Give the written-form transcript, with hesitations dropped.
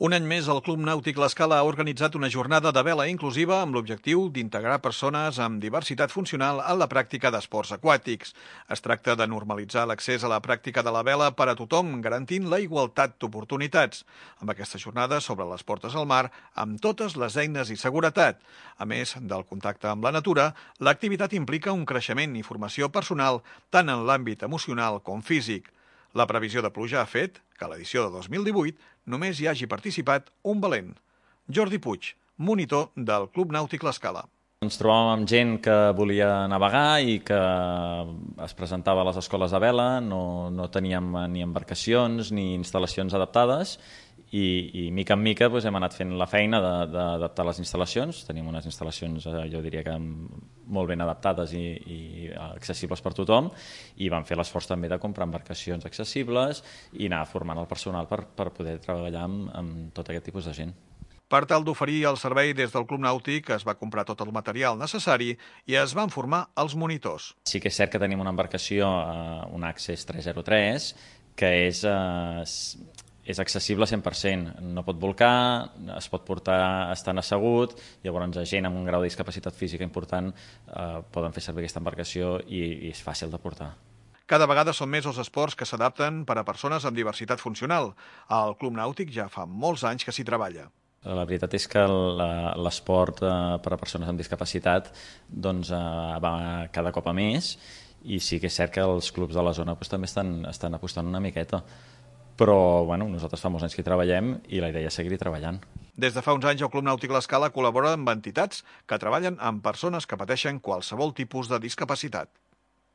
Un any més, el Club Nàutic L'Escala ha organitzat una jornada de vela inclusiva amb l'objectiu d'integrar persones amb diversitat funcional en la pràctica d'esports aquàtics. Es tracta de normalitzar l'accés a la pràctica de la vela per a tothom, garantint la igualtat d'oportunitats. Amb aquesta jornada sobre les portes al mar, amb totes les eines i seguretat. A més del contacte amb la natura, l'activitat implica un creixement i formació personal tant en l'àmbit emocional com físic. La previsió de pluja ha fet que a l'edició de 2018 només hi hagi participat un valent. Jordi Puig, monitor del Club Nàutic L'Escala. Ens trobàvem amb gent que volia navegar i que es presentava a les escoles de vela, no teníem ni embarcacions ni instal·lacions adaptades i mica en mica hem anat fent la feina d'adaptar les instal·lacions. Tenim unes instal·lacions, jo diria que molt ben adaptades i accessibles per tothom, i vam fer l'esforç també de comprar embarcacions accessibles i anar formant el personal per poder treballar amb tot aquest tipus de gent. Per tal d'oferir el servei des del Club Nàutic es va comprar tot el material necessari i es van formar els monitors. Sí que és cert que tenim una embarcació, un Access 303, que és accessible 100%. No pot bolcar, es pot portar estant assegut, llavors gent amb un grau de discapacitat física important poden fer servir aquesta embarcació i és fàcil de portar. Cada vegada són més els esports que s'adapten per a persones amb diversitat funcional. Al Club Nàutic ja fa molts anys que s'hi treballa. La veritat és que l'esport per a persones amb discapacitat va cada cop a més, i sí que és cert que els clubs de la zona també estan apostant una miqueta. Però nosaltres fa molts anys que hi treballem i la idea és seguir-hi treballant. Des de fa uns anys el Club Nàutic L'Escala col·labora amb entitats que treballen amb persones que pateixen qualsevol tipus de discapacitat.